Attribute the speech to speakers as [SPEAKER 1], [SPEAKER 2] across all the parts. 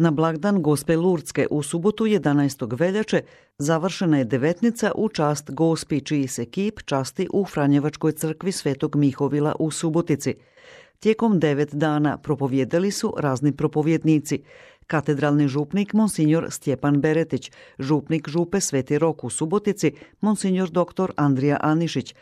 [SPEAKER 1] Na blagdan Gospe Lurdske u subotu 11. veljače završena je devetnica u čast Gospi, čiji se kip časti u Franjevačkoj crkvi Svetog Mihovila u Subotici. Tijekom 9 dana propovijedali su razni propovjednici. Katedralni župnik Monsinjor Stjepan Beretić, župnik župe Sveti Rok u Subotici Monsinjor dr. Andrija Anišić,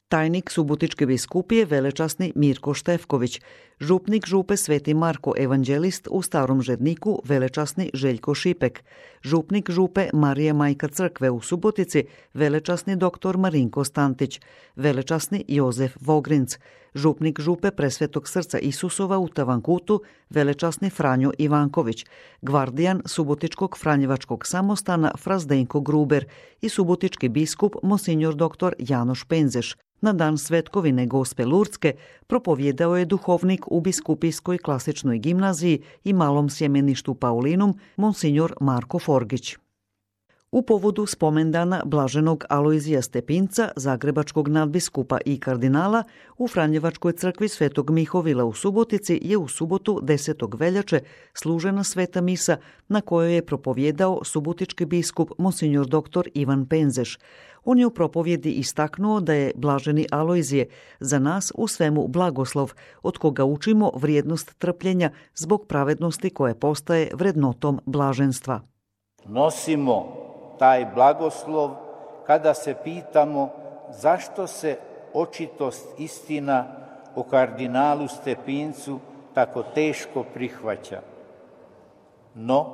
[SPEAKER 1] tajnik Subotičke biskupije velečasni Mirko Štefković, župnik župe Sveti Marko evanđelist u Starom Žedniku velečasni Željko Šipek, župnik župe Marije Majka crkve u Subotici velečasni dr. Marinko Stantić, velečasni Jozef Vogrinc, župnik župe Presvetog srca Isusova u Tavankutu velečasni Franjo Ivanković, gvardijan Subotičkog Franjevačkog samostana Fra Zdenko Gruber i subotički biskup Monsinjor dr. Janoš Penzeš. Na dan Svetkovine Gospe Lurdske propovijedao je duhovnik u Biskupijskoj klasičnoj gimnaziji i malom sjemeništu Paulinum Monsinjor Marko Forgić. U povodu spomendana blaženog Alojzija Stepinca, zagrebačkog nadbiskupa i kardinala, u Franjevačkoj crkvi Svetog Mihovila u Subotici je u subotu 10. veljače služena sveta misa na kojoj je propovijedao subotički biskup Monsinjor dr. Ivan Penzeš. On je u propovjedi istaknuo da je blaženi Alojzije za nas u svemu blagoslov, od koga učimo vrijednost trpljenja zbog pravednosti koje postaje vrednotom blaženstva.
[SPEAKER 2] Nosimo taj blagoslov kada se pitamo zašto se očitost istina o kardinalu Stepincu tako teško prihvaća. No,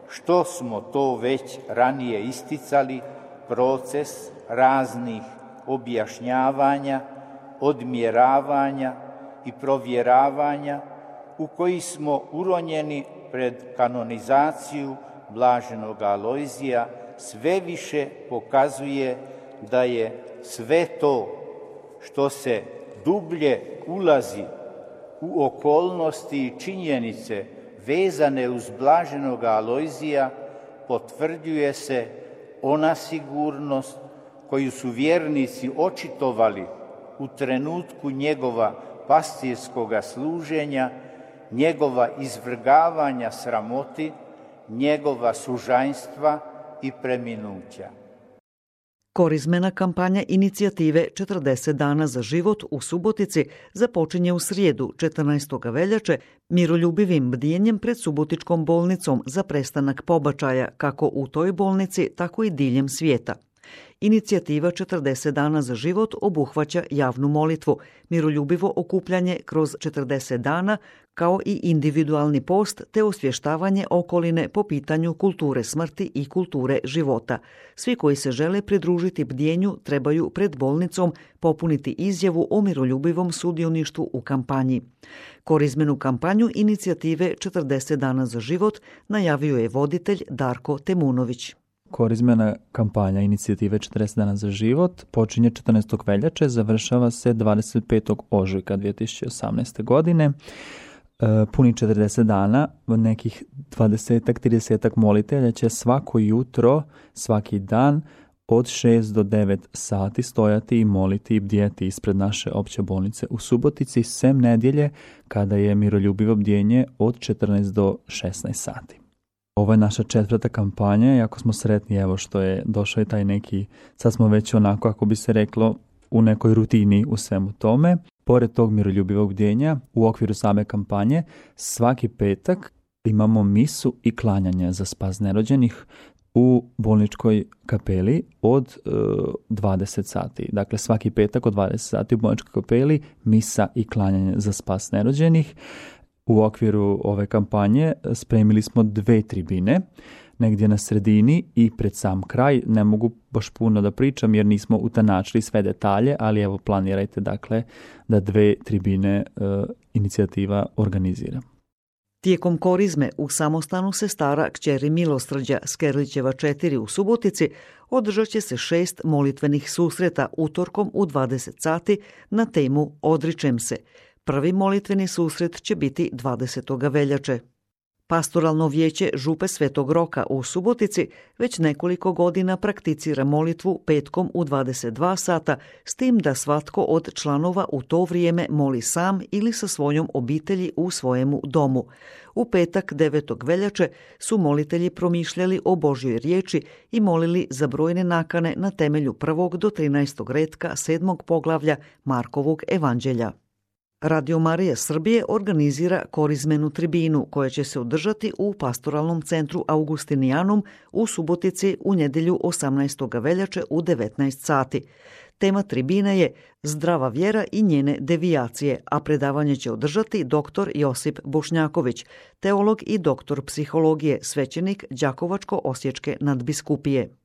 [SPEAKER 2] što smo to već ranije isticali, proces raznih objašnjavanja, odmjeravanja i provjeravanja u koji smo uronjeni pred kanonizaciju blaženog Alojzija sve više pokazuje da je sve to što se dublje ulazi u okolnosti i činjenice vezane uz blaženog Alojzija, potvrđuje se ona sigurnost koju su vjernici očitovali u trenutku njegova pastirskoga služenja, njegova izvrgavanja sramoti, njegova sužanjstva i preminuća.
[SPEAKER 1] Korizmena kampanja inicijative 40 dana za život u Subotici započinje u srijedu 14. veljače miroljubivim bdijenjem pred Subotičkom bolnicom za prestanak pobačaja kako u toj bolnici, tako i diljem svijeta. Inicijativa 40 dana za život obuhvaća javnu molitvu, miroljubivo okupljanje kroz 40 dana, kao i individualni post te osvještavanje okoline po pitanju kulture smrti i kulture života. Svi koji se žele pridružiti bdjenju trebaju pred bolnicom popuniti izjavu o miroljubivom sudioništvu u kampanji. Korizmenu kampanju inicijative 40 dana za život najavio je voditelj Darko Temunović.
[SPEAKER 3] Korizmena kampanja inicijative 40 dana za život počinje 14. veljače, završava se 25. ožujka 2018. godine. Puni 40 dana, nekih 20-30 molitelja će svako jutro, svaki dan od 6 do 9 sati stojati i moliti i bdjeti ispred naše opće bolnice u Subotici, sem nedjelje kada je miroljubivo bdjenje od 14 do 16 sati. Ovo je naša 4. kampanja i jako smo sretni evo što je došao i taj neki, sad smo već onako, ako bi se reklo, u nekoj rutini u svemu tome. Pored tog miroljubivog bdjenja, u okviru same kampanje, svaki petak imamo misu i klanjanje za spas nerođenih u bolničkoj kapeli od 20 sati. Dakle, svaki petak od 20 sati u bolničkoj kapeli misa i klanjanje za spas nerođenih. U okviru ove kampanje spremili smo 2 tribine, negdje na sredini i pred sam kraj. Ne mogu baš puno da pričam jer nismo utanačili sve detalje, ali evo planirajte dakle da 2 tribine inicijativa organizira.
[SPEAKER 1] Tijekom korizme u samostanu Sestara kćeri Milosrđa Skerlićeva 4 u Subotici održat će se 6 molitvenih susreta utorkom u 20 sati na temu Odričem se. Prvi molitveni susret će biti 20. veljače. Pastoralno vijeće Župe Svetog Roka u Subotici već nekoliko godina prakticira molitvu petkom u 22 sata, s tim da svatko od članova u to vrijeme moli sam ili sa svojom obitelji u svojemu domu. U petak 9. veljače su molitelji promišljali o Božjoj riječi i molili za brojne nakane na temelju 1. do 13. retka 7. poglavlja Markovog evanđelja. Radio Marija Srbije organizira korizmenu tribinu koja će se održati u Pastoralnom centru Augustinijanum u Subotici u nedjelju 18. veljače u 19 sati. Tema tribine je Zdrava vjera i njene devijacije, a predavanje će održati dr. Josip Bošnjaković, teolog i doktor psihologije, svećenik Đakovačko-osječke nadbiskupije.